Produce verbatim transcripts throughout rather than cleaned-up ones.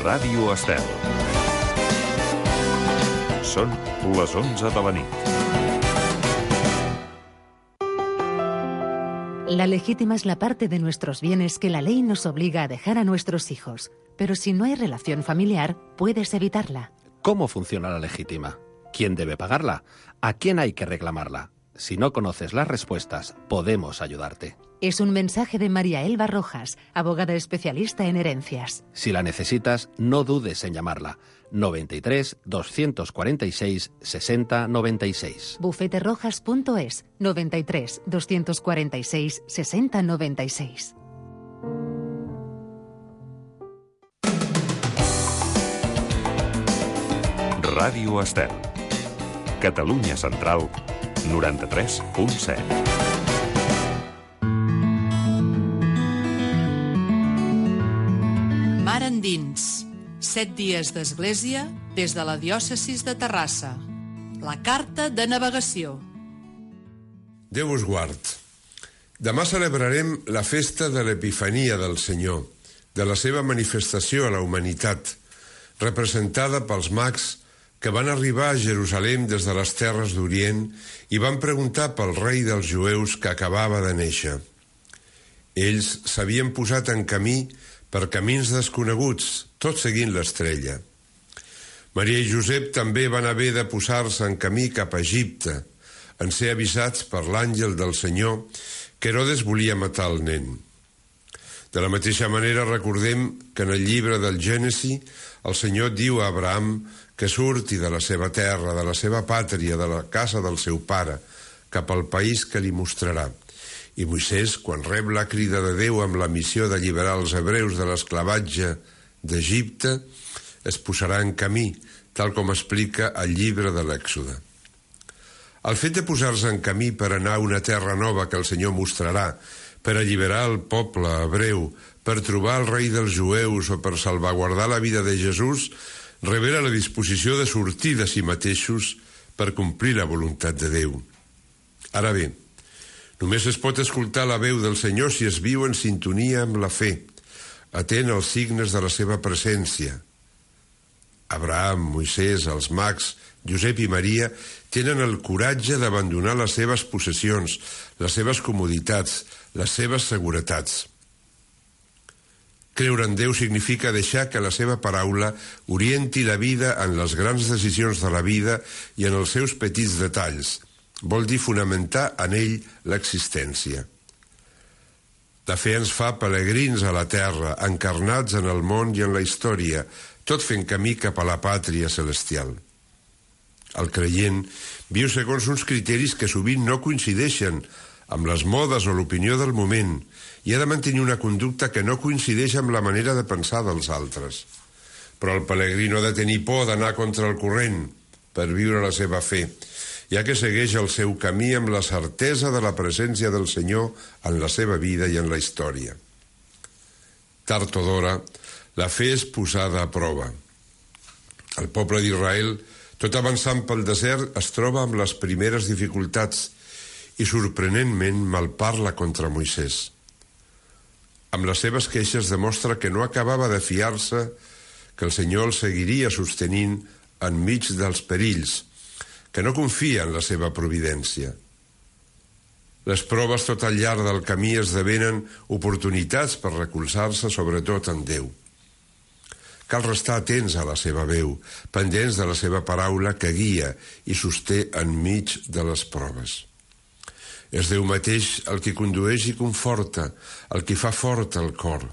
Ràdio Estel. Són les onze de la nit. La legítima es la parte de nuestros bienes que la ley nos obliga a dejar a nuestros hijos. Pero si no hay relación familiar, puedes evitarla. ¿Cómo funciona la legítima? ¿Quién debe pagarla? ¿A quién hay que reclamarla? Si no conoces las respuestas, podemos ayudarte. Es un mensaje de María Elba Rojas, abogada especialista en herencias. Si la necesitas, no dudes en llamarla. noventa y tres, doscientos cuarenta y seis, sesenta noventa y seis. bufeterojas punto es, noventa y tres, doscientos cuarenta y seis, sesenta noventa y seis. Ràdio Estel. Catalunya Central, noranta-tres punt set. Mar endins. Set dies d'església des de la diòcesis de Terrassa. La carta de navegació. Déu us guard. Demà celebrarem la festa de l'Epifania del Senyor, de la seva manifestació a la humanitat, representada pels mags que van arribar a Jerusalem des de les terres d'Orient i van preguntar pel rei dels jueus que acabava de néixer. Ells s'havien posat en camí per camins desconeguts, tot seguint l'estrella. Maria i Josep també van haver de posar-se en camí cap a Egipte, en ser avisats per l'àngel del Senyor que Herodes volia matar el nen. De la mateixa manera recordem que en el llibre del Gènesi el Senyor diu a Abraham que surti de la seva terra, de la seva pàtria, de la casa del seu pare, cap al país que li mostrarà. I Moisès, quan rep la crida de Déu amb la missió d'alliberar els hebreus de l'esclavatge d'Egipte, es posarà en camí, tal com explica el llibre de l'Èxode. El fet de posar-se en camí per anar a una terra nova que el Senyor mostrarà, per alliberar el poble hebreu, per trobar el rei dels jueus o per salvaguardar la vida de Jesús, revela la disposició de sortir de si mateixos per complir la voluntat de Déu. Ara bé, només es pot escoltar la veu del Senyor si es viu en sintonia amb la fe, atent als signes de la seva presència. Abraham, Moisès, els mags, Josep i Maria tenen el coratge d'abandonar les seves possessions, les seves comoditats, les seves seguretats. Creure en Déu significa deixar que la seva paraula orienti la vida en les grans decisions de la vida i en els seus petits detalls. Vol dir fonamentar en ell l'existència. La fe ens fa pelegrins a la terra, encarnats en el món i en la història, tot fent camí cap a la pàtria celestial. El creient viu segons uns criteris que sovint no coincideixen amb les modes o l'opinió del moment i ha de mantenir una conducta que no coincideix amb la manera de pensar dels altres. Però el pelegrí no ha de tenir por d'anar contra el corrent per viure la seva fe, ja que segueix el seu camí amb la certesa de la presència del Senyor en la seva vida i en la història. Tard o d'hora, la fe és posada a prova. El poble d'Israel, tot avançant pel desert, es troba amb les primeres dificultats i sorprenentment malparla contra Moisès. Amb les seves queixes demostra que no acabava de fiar-se que el Senyor el seguiria sostenint enmig dels perills, que no confia en la seva providència. Les proves tot al llarg del camí esdevenen oportunitats per recolzar-se sobretot en Déu. Cal restar atents a la seva veu, pendents de la seva paraula que guia i sosté enmig de les proves. És Déu mateix el que condueix i conforta, el que fa fort el cor.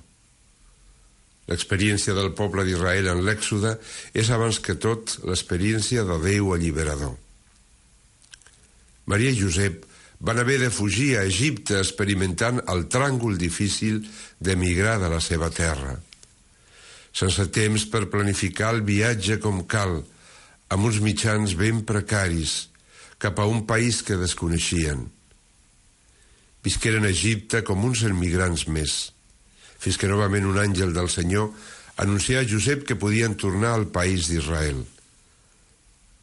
L'experiència del poble d'Israel en l'Èxode és abans que tot l'experiència de Déu alliberador. Maria i Josep van haver de fugir a Egipte experimentant el tràngol difícil d'emigrar de la seva terra. Sense temps per planificar el viatge com cal, amb uns mitjans ben precaris, cap a un país que desconeixien. Visqueren a Egipte com uns emigrants més, fins que novament un àngel del Senyor anuncià a Josep que podien tornar al país d'Israel.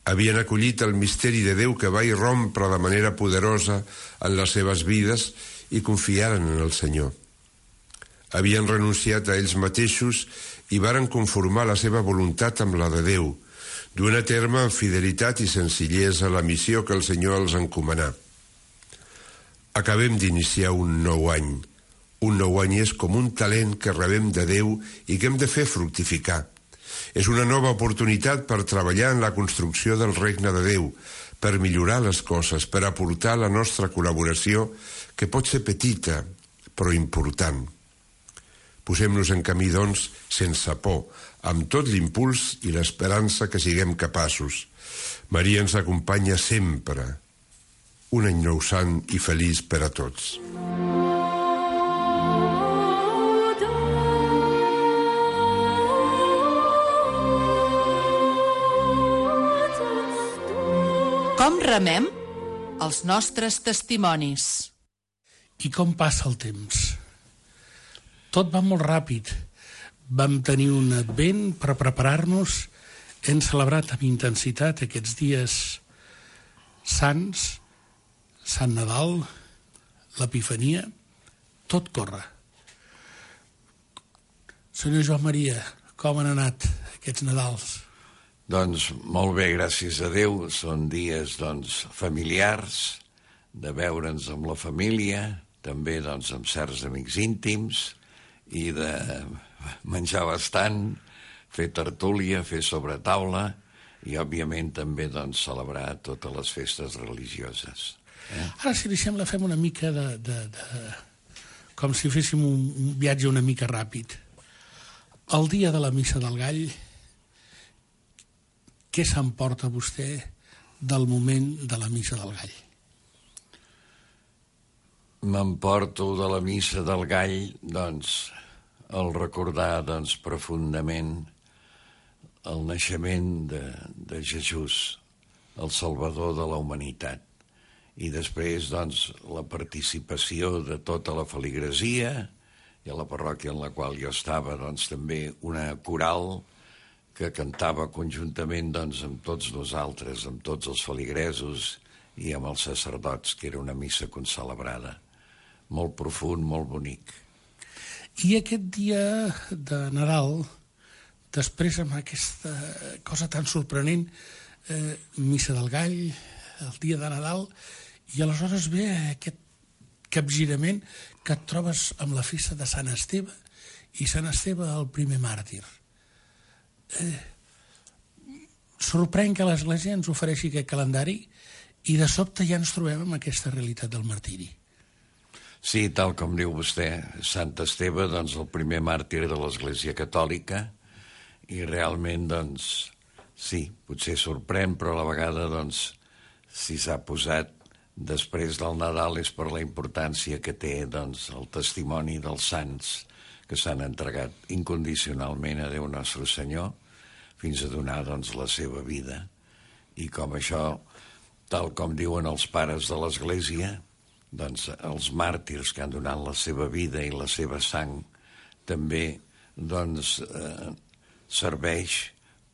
Havien acollit el misteri de Déu que va irrompre de manera poderosa en les seves vides i confiaren en el Senyor. Havien renunciat a ells mateixos i varen conformar la seva voluntat amb la de Déu, duent a terme amb fidelitat i senzillesa la missió que el Senyor els encomanà. Acabem d'iniciar un nou any. Un nou any és com un talent que rebem de Déu i que hem de fer fructificar. És una nova oportunitat per treballar en la construcció del regne de Déu, per millorar les coses, per aportar la nostra col·laboració, que pot ser petita, però important. Posem-nos en camí, doncs, sense por, amb tot l'impuls i l'esperança que siguem capaços. Maria ens acompanya sempre. Un any nou sant i feliç per a tots. Com remem els nostres testimonis? I com passa el temps? Tot va molt ràpid. Vam tenir un advent per preparar-nos. Hem celebrat amb intensitat aquests dies sants, Sant Nadal, l'Epifania. Tot corre. Senyor Joan Maria, com han anat aquests Nadals? Doncs molt bé, gràcies a Déu. Són dies doncs, familiars, de veure'ns amb la família, també doncs, amb certs amics íntims, i de menjar bastant, fer tertúlia, fer sobretaula, i òbviament també doncs, celebrar totes les festes religioses. Eh? Ara, si li sembla, fem una mica de... de, de com si féssim un, un viatge una mica ràpid. El dia de la Missa del Gall, què s'emporta vostè del moment de la Missa del Gall? M'emporto de la Missa del Gall, doncs, el recordar, doncs, profundament el naixement de, de Jesús, el Salvador de la humanitat. I després, doncs, la participació de tota la feligresia, i a la parròquia en la qual jo estava, doncs, també una coral que cantava conjuntament doncs, amb tots nosaltres, amb tots els feligresos i amb els sacerdots, que era una missa concelebrada. Molt profund, molt bonic. I aquest dia de Nadal, després amb aquesta cosa tan sorprenent, eh, Missa del Gall, el dia de Nadal, i aleshores ve aquest capgirament que et trobes amb la festa de Sant Esteve, i Sant Esteve el primer màrtir. Eh, sorprèn que l'Església ens ofereixi aquest calendari i de sobte ja ens trobem amb aquesta realitat del martiri. Sí, tal com diu vostè, Sant Esteve, doncs, el primer màrtir de l'Església Catòlica, i realment, doncs, sí, potser sorprèn, però a la vegada, doncs, si s'ha posat després del Nadal és per la importància que té, doncs, el testimoni dels sants que s'han entregat incondicionalment a Déu Nostre Senyor, fins a donar, doncs, la seva vida. I com això, tal com diuen els pares de l'Església, doncs els màrtirs que han donat la seva vida i la seva sang també, doncs, eh, serveix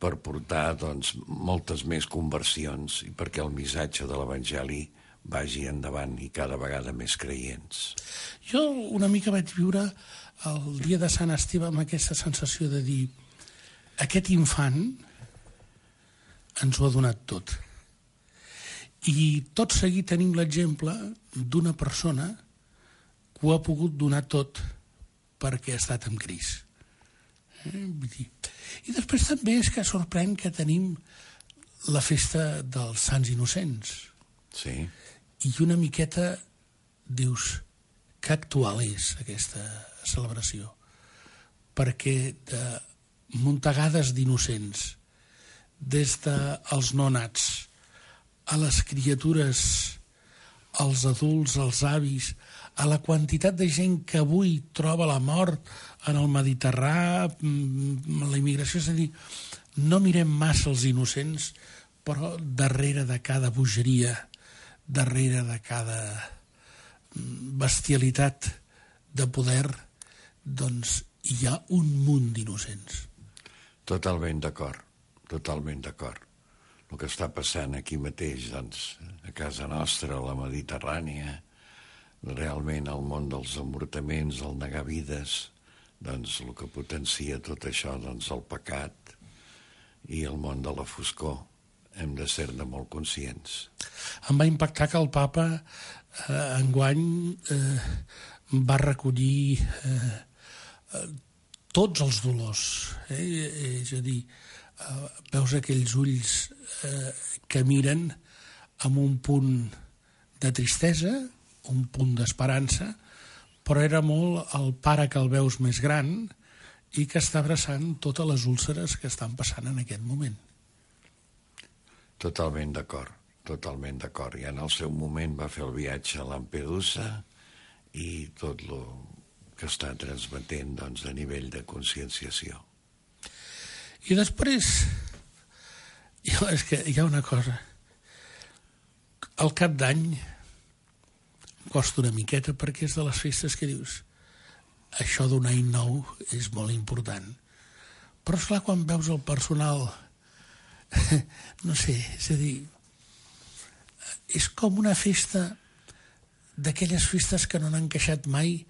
per portar, doncs, moltes més conversions i perquè el missatge de l'Evangeli vagi endavant i cada vegada més creients. Jo una mica vaig viure el dia de Sant Esteve amb aquesta sensació de dir aquest infant ens ho ha donat tot. I tot seguit tenim l'exemple d'una persona que ho ha pogut donar tot perquè ha estat amb Crist. Eh? I després també és que sorprèn que tenim la festa dels Sants Innocents. Sí. I una miqueta dius que actual és aquesta celebració, perquè de muntegades d'innocents, des dels nonats a les criatures, als adults, als avis, a la quantitat de gent que avui troba la mort en el Mediterrani, la immigració, és a dir, no mirem massa els innocents, però darrere de cada bogeria, darrere de cada bestialitat de poder, doncs hi ha un munt d'innocents. Totalment d'acord, totalment d'acord. El que està passant aquí mateix, doncs, a casa nostra, a la Mediterrània, realment el món dels avortaments, el negar vides, doncs el que potencia tot això, doncs el pecat i el món de la foscor. Hem de ser-ne molt conscients. Em va impactar que el papa eh, enguany eh, va recollir eh, eh, tots els dolors. Eh? És a dir, eh, veus aquells ulls eh, que miren amb un punt de tristesa, un punt d'esperança, però era molt el pare que el veus més gran i que està abraçant totes les úlceres que estan passant en aquest moment. Totalment d'acord, totalment d'acord. I en el seu moment va fer el viatge a Lampedusa i tot el que està transmetent, doncs, a nivell de conscienciació. I després, jo, és que hi ha una cosa. Al cap d'any costa una miqueta perquè és de les festes que dius això d'un any nou és molt important. Però, esclar, quan veus el personal no sé, és a dir, és com una festa d'aquelles festes que no han encaixat mai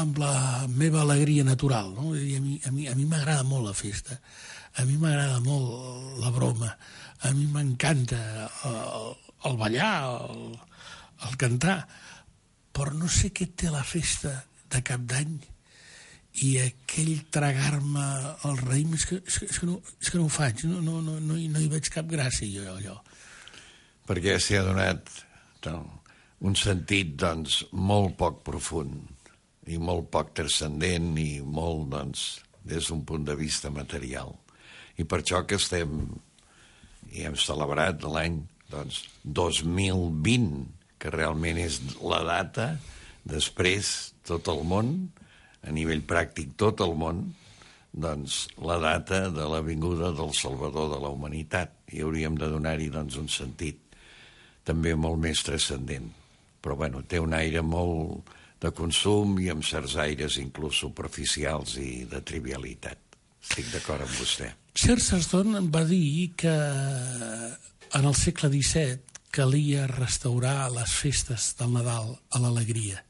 amb la meva alegria natural, no? I a mi, a mi, a mi m'agrada molt la festa, a mi m'agrada molt la broma, a mi m'encanta el, el ballar, el, el cantar, però no sé què té la festa de Cap d'Any i aquell tragar-me el raïm, és que, és, que, és, que no, és que no ho faig, no, no, no, no, hi, no hi veig cap gràcia jo, allò. Perquè s'hi ha donat no, un sentit, doncs, molt poc profund i molt poc transcendent i molt, doncs, des d'un punt de vista material. I per això que estem, i hem celebrat l'any, doncs, dos mil vint, que realment és la data, després tot el món, a nivell pràctic tot el món, doncs la data de la vinguda del Salvador de la humanitat. I hauríem de donar-hi doncs, un sentit també molt més transcendent. Però bueno, té un aire molt de consum i amb certs aires inclús superficials i de trivialitat. Estic d'acord amb vostè. Chesterton va dir que en el segle disset calia restaurar les festes del Nadal a l'alegria.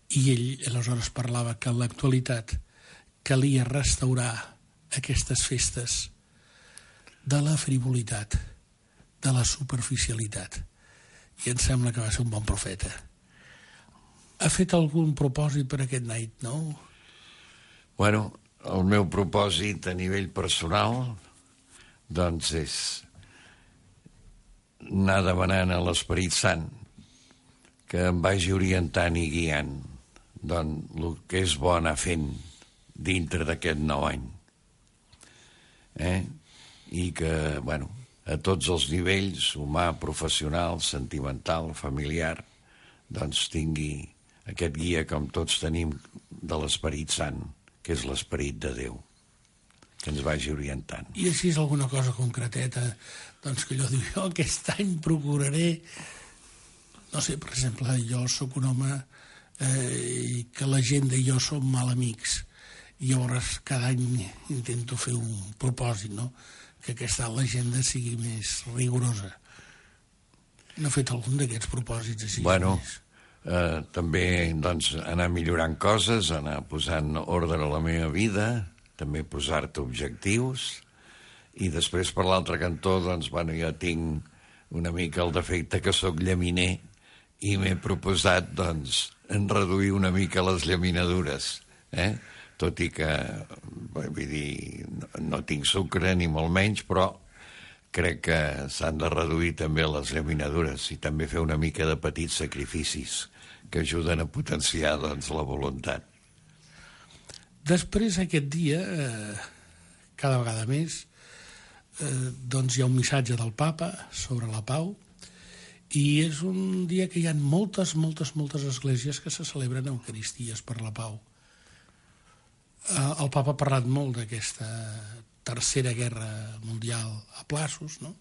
I ell aleshores parlava que en l'actualitat calia restaurar aquestes festes de la frivolitat, de la superficialitat. I em sembla que va ser un bon profeta. Ha fet algun propòsit per aquest night, no? Bueno, el meu propòsit a nivell personal doncs és anar demanant a l'Esperit Sant que em vagi orientant i guiant doncs el que és bo anar fent dintre d'aquest nou any. Eh? I que, bueno, a tots els nivells, humà, professional, sentimental, familiar, doncs tingui aquest guia com tots tenim de l'Esperit Sant, que és l'Esperit de Déu, que ens vagi orientant. I així és alguna cosa concreteta, doncs que allò diu, jo aquest any procuraré, no sé, per exemple, jo sóc un home eh, que la gent i jo som mal amics, i llavors cada any intento fer un propòsit, no?, que aquesta l'agenda sigui més rigorosa. No he fet algun d'aquests propòsits així? Bueno, eh, també doncs, anar millorant coses, anar posant ordre a la meva vida, també posar-te objectius, i després per l'altre cantó, doncs, bueno, jo tinc una mica el defecte que sóc llaminer i m'he proposat, doncs, en reduir una mica les llaminadures, eh? Tot i que, vull dir, no, no tinc sucre ni molt menys, però crec que s'han de reduir també les llaminadures i també fer una mica de petits sacrificis que ajuden a potenciar, doncs, la voluntat. Després, aquest dia, eh, cada vegada més, eh, doncs hi ha un missatge del papa sobre la pau, i és un dia que hi ha moltes, moltes, moltes esglésies que se celebren eucaristies per la pau. El papa ha parlat molt d'aquesta tercera guerra mundial a plaços, no?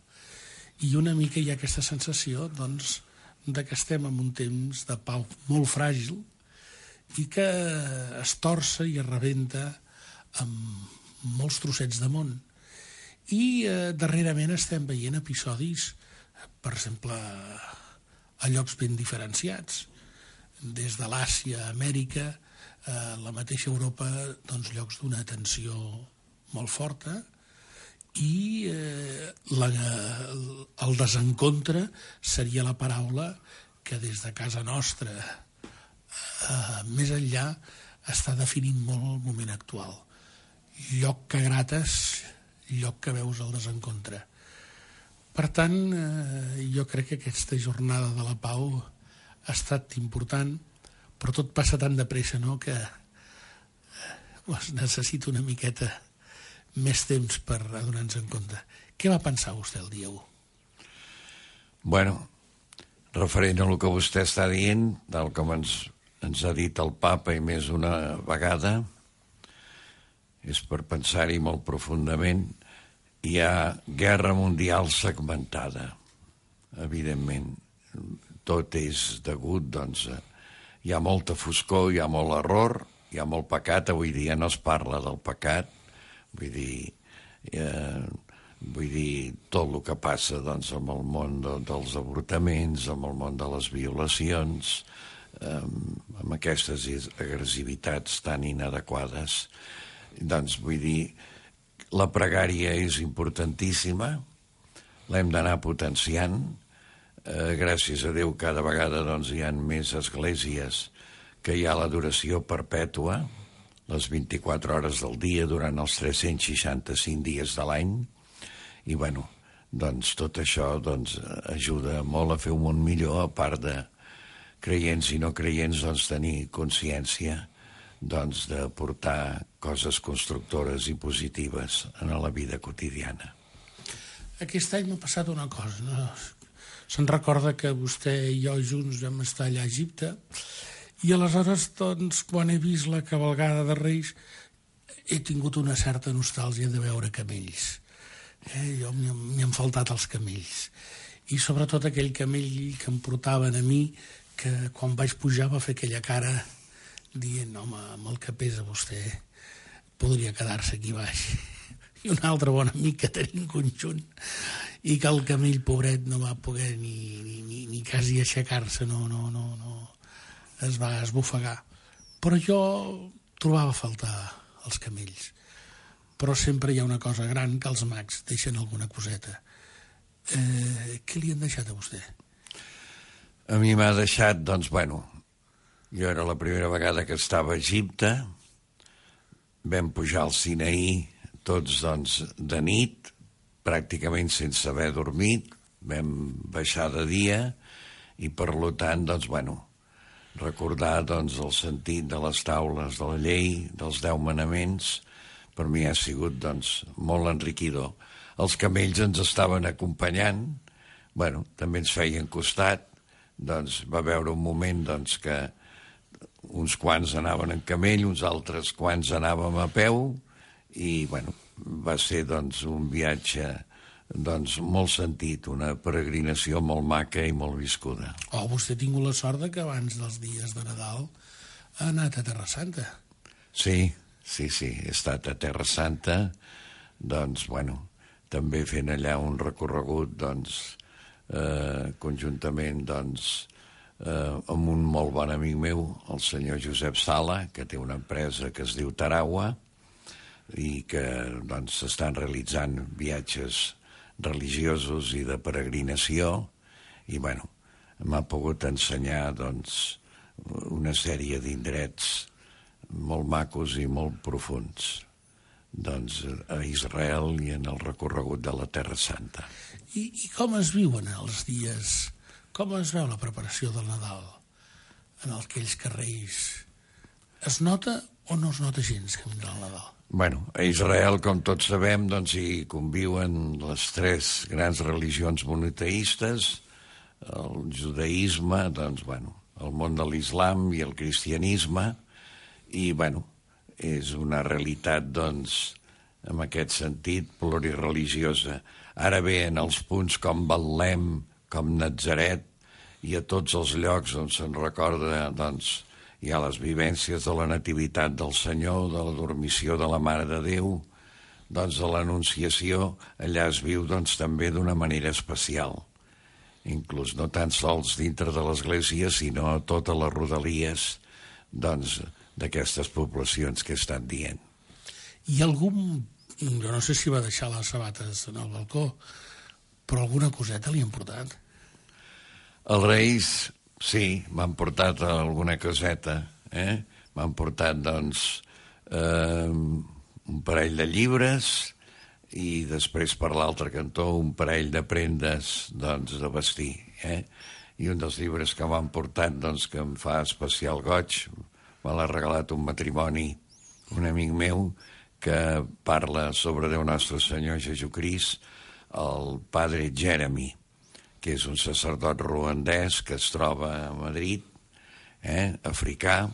I una mica hi ha aquesta sensació, doncs, de que estem en un temps de pau molt fràgil i que es torça i es rebenta amb molts trossets de món. I eh, darrerament estem veient episodis, per exemple, a llocs ben diferenciats, des de l'Àsia a Amèrica, eh, la mateixa Europa, doncs, llocs d'una tensió molt forta, i eh, la, el desencontre seria la paraula que des de casa nostra, eh, més enllà, està definint molt el moment actual. Lloc que grates, lloc que veus el desencontre. Per tant, eh, jo crec que aquesta jornada de la pau ha estat important, però tot passa tan de pressa, no?, que eh, es necessita una miqueta més temps per adonar-nos en compte. Què va pensar vostè el dia u? Bueno, referent a el que vostè està dient, tal com ens, ens ha dit el papa i més una vegada, és per pensar-hi molt profundament. Hi ha guerra mundial segmentada, evidentment. Tot és degut, doncs, a... hi ha molta foscor, hi ha molt error, hi ha molt pecat. Avui dia no es parla del pecat, vull dir, eh, vull dir tot el que passa, doncs, amb el món de, dels avortaments, amb el món de les violacions, eh, amb aquestes agressivitats tan inadequades. Doncs, vull dir, la pregària és importantíssima, l'hem d'anar potenciant. Eh, gràcies a Déu cada vegada, doncs, hi ha més esglésies que hi ha l'adoració perpètua, les vint-i-quatre hores del dia durant els tres-cents seixanta-cinc dies de l'any, i bueno, doncs tot això doncs, ajuda molt a fer un món millor, a part de creients i no creients, doncs tenir consciència doncs, de portar coses constructores i positives en la vida quotidiana. Aquest any m'ha passat una cosa, no? Se'n recorda que vostè i jo junts vam estar allà a Egipte, i aleshores, doncs, quan he vist la cavalgada de Reis, he tingut una certa nostàlgia de veure camells. Eh? Jo m'hi han faltat els camells. I sobretot aquell camell que em portaven a mi, que quan vaig pujar va fer aquella cara dient, home, amb el que pesa vostè, podria quedar-se aquí baix. I un altre bon amic que tenim conjunt, i que el camell, pobret, no va poder ni, ni, ni, ni quasi aixecar-se, no, no, no, no. Es va esbufegar. Però jo trobava a faltar els camells. Però sempre hi ha una cosa gran, que els mags deixen alguna coseta. Eh, què li han deixat a vostè? A mi m'ha deixat, doncs, bueno, jo era la primera vegada que estava a Egipte, vam pujar al Sinaí tots, doncs, de nit, pràcticament sense haver dormit, vam baixar de dia, i per tant, doncs, bueno, recordar, doncs, el sentit de les taules de la llei, dels deu manaments, per mi ha sigut, doncs, molt enriquidor. Els camells ens estaven acompanyant, bueno, també ens feien costat, doncs va veure un moment, doncs, que uns quants anaven en camell, uns altres quants anàvem a peu, i, bueno, va ser, doncs, un viatge, doncs, molt sentit, una peregrinació molt maca i molt viscuda. Oh, vostè ha tingut la sort que abans dels dies de Nadal ha anat a Terra Santa. Sí, sí, sí, he estat a Terra Santa, doncs, bueno, també fent allà un recorregut, doncs, eh, conjuntament, doncs, eh, amb un molt bon amic meu, el senyor Josep Sala, que té una empresa que es diu Tarawa, i que, doncs, s'estan realitzant viatges religiosos i de peregrinació, i, bueno, m'ha pogut ensenyar, doncs, una sèrie d'indrets molt macos i molt profuns, doncs, a Israel i en el recorregut de la Terra Santa. I, i com es viuen els dies? Com es veu la preparació del Nadal en aquells carrers? Es nota o no es nota gens que vindrà el Nadal? Bueno, a Israel, com tots sabem, doncs hi conviuen les tres grans religions monoteistes, el judaïsme, doncs, bueno, el món de l'islam i el cristianisme, i, bueno, és una realitat, doncs, en aquest sentit, plurireligiosa. Ara bé, en els punts com Betlem, com Natzaret, i a tots els llocs on se'n recorda, doncs, hi ha les vivències de la nativitat del Senyor, de la dormició de la Mare de Déu, doncs de l'anunciació, allà es viu, doncs, també d'una manera especial. Inclús no tan sols dintre de l'església, sinó a totes les rodalies, doncs, d'aquestes poblacions que he estat dient. I algun, jo no sé si va deixar les sabates en el balcó, però alguna coseta li han portat? Els Reis, sí, m'han portat alguna coseta, eh? M'han portat, doncs, eh, un parell de llibres i després per l'altre cantó un parell de prendes, doncs, de vestir, eh? I un dels llibres que m'han portat, doncs, que em fa especial goig, me l'ha regalat un matrimoni, un amic meu, que parla sobre Déu Nostre Senyor Jesucrist, el padre Jeremy, que és un sacerdot ruandès que es troba a Madrid, eh, africà,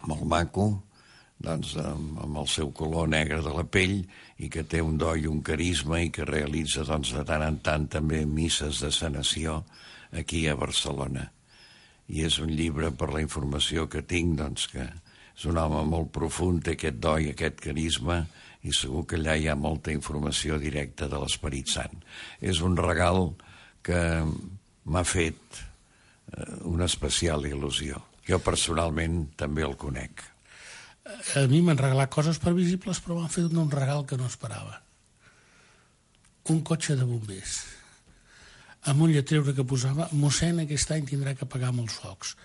molt maco, doncs, amb, amb el seu color negre de la pell, i que té un do i un carisma i que realitza, doncs, de tant en tant també misses de sanació aquí a Barcelona. I és un llibre, per la informació que tinc, doncs, que és un home molt profund, té aquest do i aquest carisma, i segur que allà hi ha molta informació directa de l'Esperit Sant. És un regal que m'ha fet una especial il·lusió. Jo personalment també el conec. A mi m'han regalat coses previsibles, però m'han fet un regal que no esperava. Un cotxe de bombers, amb un lletreure que posava «Mossèn aquest any tindrà que pagar molts focs».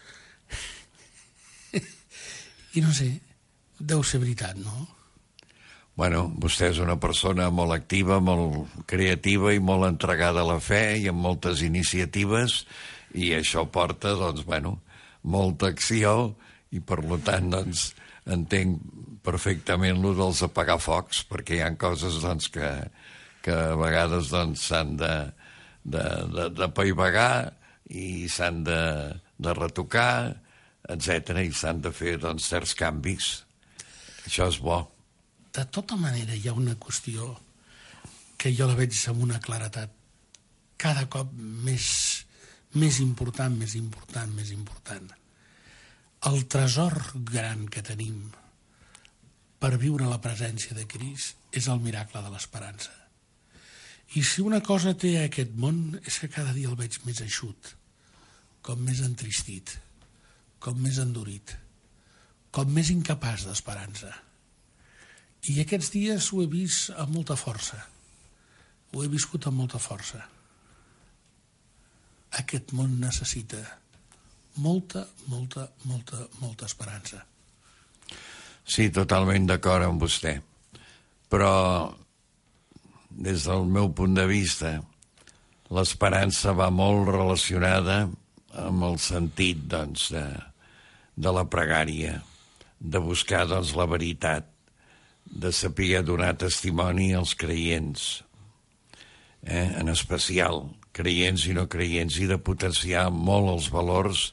I no sé, deu ser veritat, no? Bueno, vostè és una persona molt activa, molt creativa i molt entregada a la fe i amb moltes iniciatives, i això porta, doncs, bueno, molta acció, i per tant, doncs, entenc perfectament lo dels apagar focs, perquè hi ha coses, doncs, que, que a vegades, doncs, s'han de, de, de, de paivagar i s'han de, de retocar, etcètera, i s'han de fer, doncs, certs canvis. Això és bo. De tota manera, hi ha una qüestió que jo la veig amb una claretat cada cop més, més important, més important, més important. El tresor gran que tenim per viure la presència de Crist és el miracle de l'esperança. I si una cosa té aquest món és que cada dia el veig més eixut, com més entristit, com més endurit, com més incapaç d'esperança. I aquests dies ho he vist amb molta força. Ho he viscut amb molta força. Aquest món necessita molta, molta, molta, molta esperança. Sí, totalment d'acord amb vostè. Però, des del meu punt de vista, l'esperança va molt relacionada amb el sentit, doncs, de, de la pregària, de buscar, doncs, la veritat, de saber donar testimoni als creients, eh? En especial creients i no creients, i de potenciar molt els valors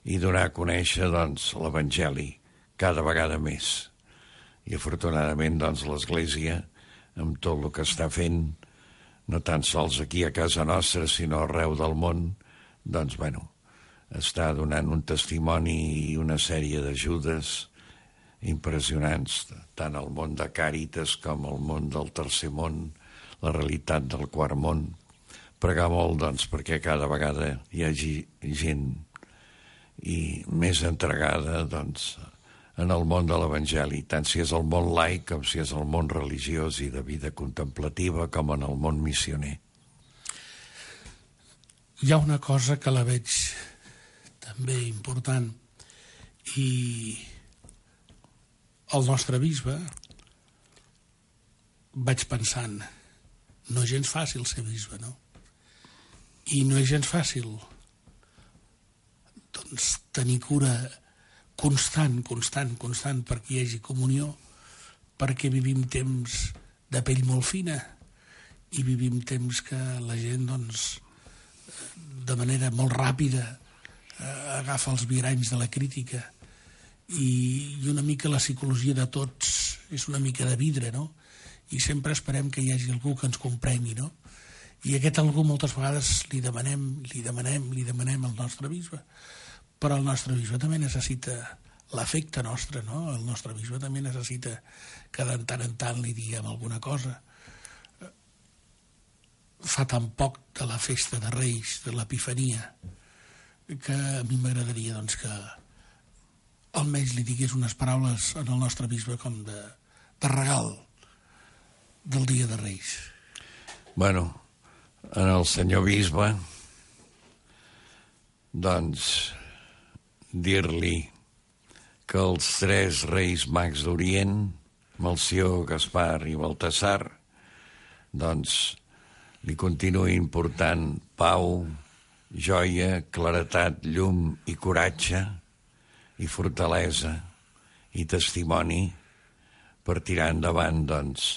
i donar a conèixer, doncs, l'Evangeli cada vegada més. I afortunadament, doncs, l'Església, amb tot el que està fent, no tan sols aquí a casa nostra, sinó arreu del món, doncs, bueno, està donant un testimoni i una sèrie d'ajudes impressionants, tant al món de Càritas com al món del tercer món, la realitat del quart món. Pregar molt, doncs, perquè cada vegada hi hagi gent i més entregada, doncs, en el món de l'Evangeli, tant si és el món laic com si és el món religiós i de vida contemplativa, com en el món missioner. Hi ha una cosa que la veig també important, i el nostre bisbe, vaig pensant, no és gens fàcil ser bisbe, no? I no és gens fàcil, doncs, tenir cura constant, constant, constant, perquè hi hagi comunió, perquè vivim temps de pell molt fina i vivim temps que la gent, doncs, de manera molt ràpida agafa els viranys de la crítica, i una mica la psicologia de tots és una mica de vidre, no? I sempre esperem que hi hagi algú que ens comprengui, no? I aquest algú moltes vegades li demanem, li demanem, li demanem al nostre bisbe, però el nostre bisbe també necessita l'afecte nostre, no? El nostre bisbe també necessita que de tant en tant li diguem alguna cosa. Fa tan poc de la festa de Reis, de l'Epifania, que a mi m'agradaria, doncs, que almenys li digués unes paraules en el nostre bisbe com de, de regal del dia de Reis. Bueno, en el senyor bisbe, doncs, dir-li que els tres reis mags d'Orient, Melcior, Gaspar i Baltasar, doncs, li continuï important pau, joia, claretat, llum i coratge i fortalesa i testimoni per tirar endavant, doncs,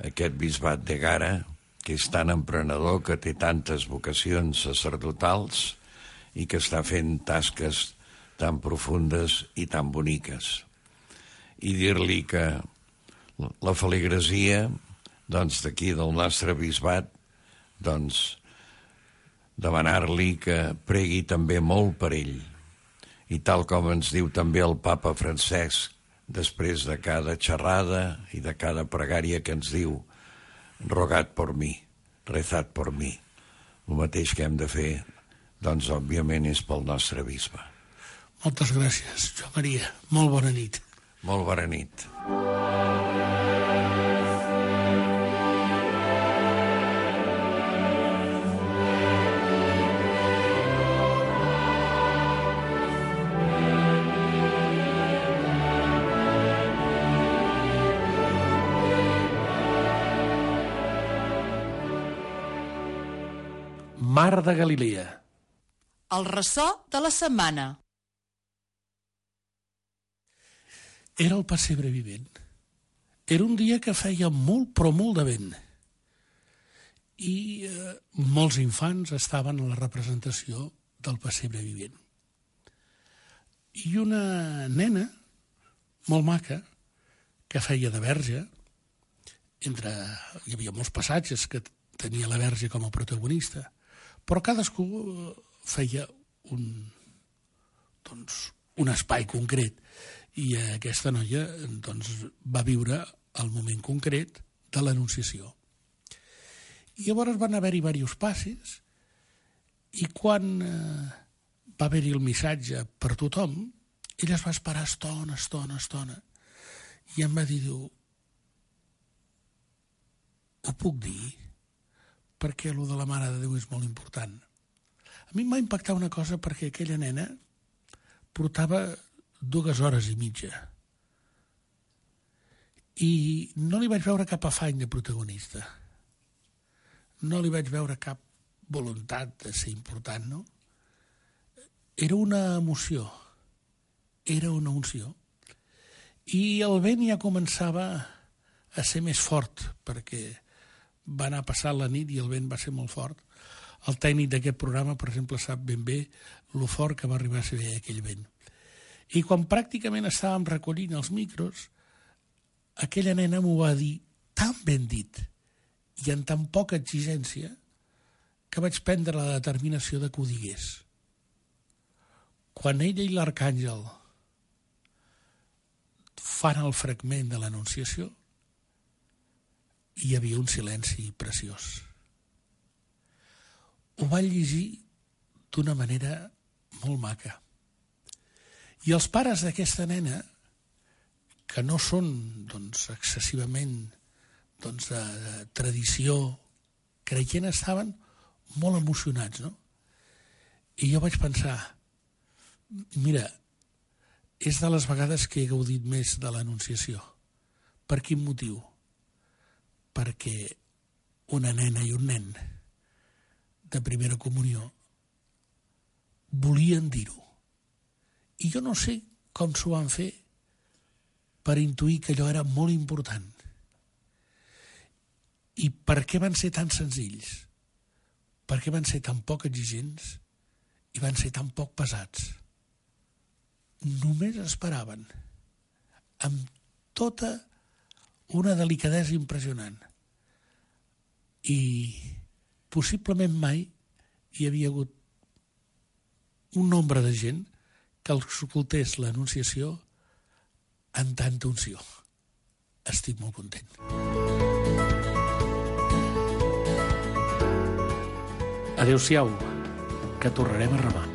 aquest bisbat d'Ègara, que és tan emprenedor, que té tantes vocacions sacerdotals i que està fent tasques tan profundes i tan boniques. I dir-li que la feligresia, doncs, d'aquí del nostre bisbat, doncs, demanar-li que pregui també molt per ell. I tal com ens diu també el papa Francesc, després de cada xerrada i de cada pregària que ens diu, rogat por mi, rezat por mi. El mateix que hem de fer, doncs, òbviament, és pel nostre bisbe. Moltes gràcies, Joan Maria. Molt bona nit. Molt bona nit. Mar de Galilea. El ressò de la setmana. Era el pessebre vivent. Era un dia que feia molt, però molt de vent. I eh, molts infants estaven a la representació del pessebre vivent. I una nena, molt maca, que feia de verge, entre... hi havia molts passatges que tenia la verge com a protagonista, però cadascú feia un, doncs, un espai concret. I aquesta noia, doncs, va viure el moment concret de l'Anunciació. I llavors van haver-hi diversos passes, i quan eh, va haver-hi el missatge per tothom, ella es va esperar estona, estona, estona, i em va dir, diu, ho puc dir? Perquè allò de la Mare de Déu és molt important. A mi em va impactar una cosa, perquè aquella nena portava dues hores i mitja. I no li vaig veure cap afany de protagonista. No li vaig veure cap voluntat de ser important, no? Era una emoció. Era una unció. I el vent ja començava a ser més fort, perquè va anar passant la nit i el vent va ser molt fort. El tècnic d'aquest programa, per exemple, sap ben bé lo fort que va arribar a ser aquell vent. I quan pràcticament estàvem recollint els micros, aquella nena m'ho va dir tan ben dit i amb tan poca exigència que vaig prendre la determinació de que ho digués. Quan ella i l'arcàngel fan el fragment de l'Anunciació, hi havia un silenci preciós. Ho va llegir d'una manera molt maca. I els pares d'aquesta nena, que no són, doncs, excessivament, doncs, de, de tradició creient, estaven molt emocionats, no? I jo vaig pensar, mira, és de les vegades que he gaudit més de l'Anunciació. Per quin motiu? Perquè una nena i un nen de primera comunió volien dir-ho. I jo no sé com s'ho van fer per intuir que allò era molt important. I per què van ser tan senzills? Per què van ser tan poc exigents i van ser tan poc pesats? Només esperaven, amb tota una delicadesa impressionant. I possiblement mai hi havia hagut un nombre de gent que escoltés l'Anunciació amb tanta unció. Estic molt content. Adéu-siau, que tornarem a remar.